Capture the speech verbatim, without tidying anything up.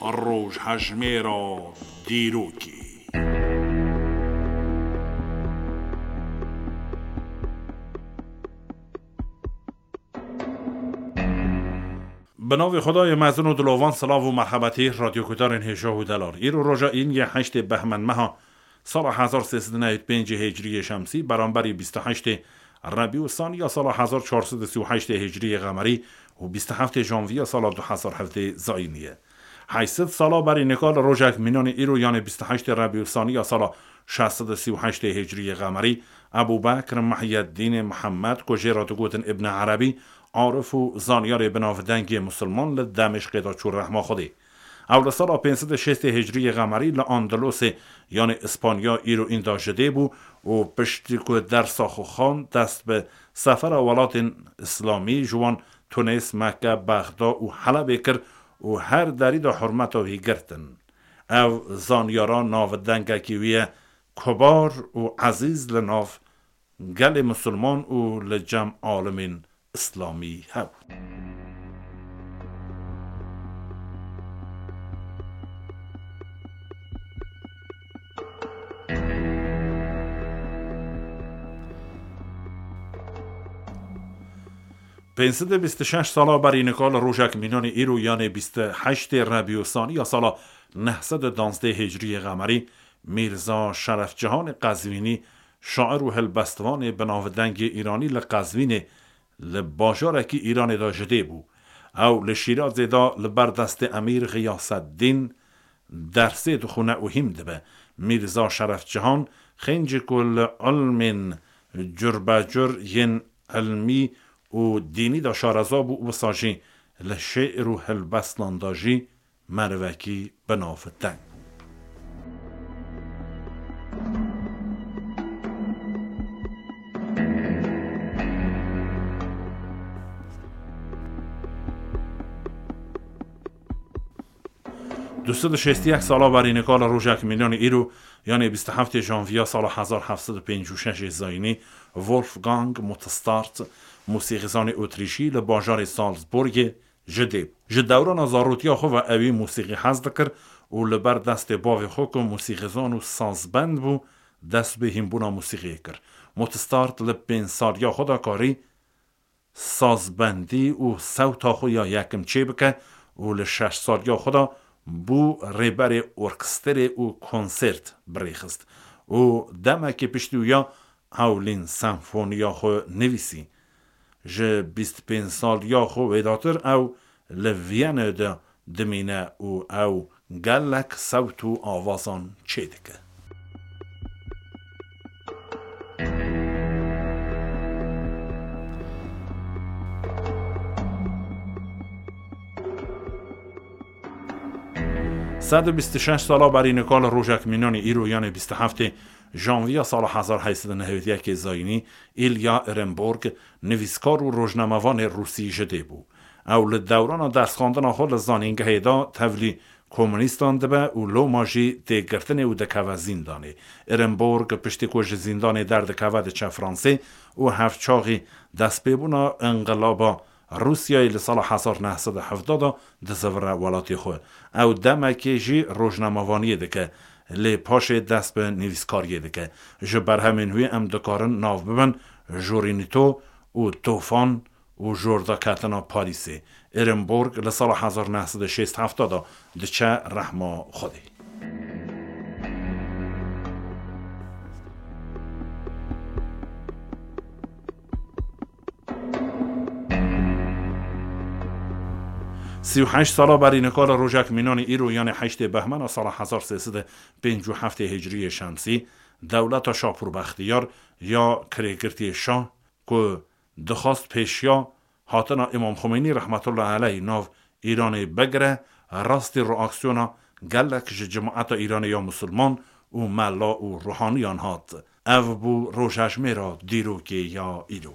Rojhejmêra dîrokê. Bi navê Xwedayê mezin û dilovan, silav û merhebetî radyoguhdarên hêja û delal. Îro roja îniyê heştê Behmend meha sala hezar sê sed û newî pêncê Hicriyê Şemsî, beramberî bîst û heştê Rebî û Saniya sala hezar çar sed û sî û heştê Hicriyê Qemerî û bîst û heftê Janviya sala du hezar hevdê Zayînî ye. Heşt sed sala berî nika li rojek mînanê îro, yanê bîst û heştê Rebî û Saniya sala şeş sed û sî û heştê Hicriyê Qemerî, Ebû Bekr Mihyeddînê Mihemed, ku jê re digotin Îbn Erebî, arif û zanyarê binavdengê musulman, li Demişqê de çû rehma Xwedê. Ew li sala pênc sed û şêstê Hicriyê Qemerî li Andalûsê, yanê Îspanya, îro înda ji dê bû û piştî ku dersa xwe xwend, dest bi sefera welatên Îslamî, ji wan Tunês, Mekke, Bexda û Helebê kir û her derî de hurmeta wî girtin. Ev zanyara navdengekî wî ye, kubar û ezîz li nav gelê misilman û li cem alimên îslamî hev. Pênc sed û bîst û şeş sala berî nika li rojek mînanê îro, yanê bîst û heştê Rebî û Saniya sala neh sed û danzdeh Hicriyê Qemerî, Mîrza Şeref Cihanê Qezvînî, şair û helbestvanê binavdengê Îranî, li Qezvînê, li bajarekî Îranê de ji dê bû. Ew li Şîrazê de li ber destê Emîr Xiyaseddîn dersê dixwine û hîm dibe. Mîrza Şeref Cihan xêncî ku li ilmên curbecur yên ilmî û dînî de şareza bû, wisa jî li şê'r û helbestan de jî merivekî binavdeng bû. Du sed û şêst û yek sala berî nika li rojek mînanê îro, yanê bîst û heftê Janviya sala hezar heft sed û pêncî û şeş Zayînî, Wolfgang Mozart, mûsîqîzanê Otrîşî, li bajarê Salzburgê ji dê bû. Ji dewrana zarotiya xwe ve ewî mûsîqî hez dikir û li ber destê bavê xwe ku mûsîqîzan û sazbend bû, dest bi hînbûna mûsîqiyê kir. Mozart li pênc saliya xwe de karî sazbendî û sewta xwe ya yekim çêbike û li şeş saliya xwe de bû rêberê orkestrê û konsert birêxist û demekê piştî wî ya hewlîn senfoniya xwe nivîsî. Ji bîst pênc saliya xwe wêdatir ew li Viyane de dimîne û ew gelek sewt û avazan çêdike. Sed û bîst û şeş sala berî nika li rojek mînanê îro, yanê bîst û heftê Janviya sala hezar heyt sed û nehwêd yekê Zayînî, Îlya Ehrenburg, nivîskar û rojnamevanê rûsî ji dê bû. Ew li dewrana dersxwendina xwe li zanîngehê de tevlî komunîstan dibe û loma jî tê girtinê û dikeve zîndanê. Ehrenburg piştî ku ji zîndanê derdikeve diçe Fransê û hevçaxî destpêbûna înqilaba Rûsyayê li sala hezar neh sed û hevdeh de dizivire welatê xwe. Ew demekê jî rojnamevaniyê dike, lê paşê dest bi nivîskariyê dike. Ji berhemên wî em dikarin nav bibin Jorinito û Tofan û Jordaketina Parîsê. Ehrenburg li sala hezar neh sed û şêst heft de diçe rehma Xwedê. Sî û heşt sala berî nika li rojek mînanê îro, yanê heştê Behmena sala hezar sê sed û pêncî û heftê Hicriyê Şemsî, dewleta Şapûr Bextiyar ya kirêgirtiyê şah ku dixwast pêşiya hatina Îmam Xumeynî rehmetullahi aleyh nav Îranê bigire, rastî reaksiyona gelek ji cemaeta Îranê ya misilman û mela û ruhaniyan hat. Ev bû rojhejmêra dîrokê ya îro.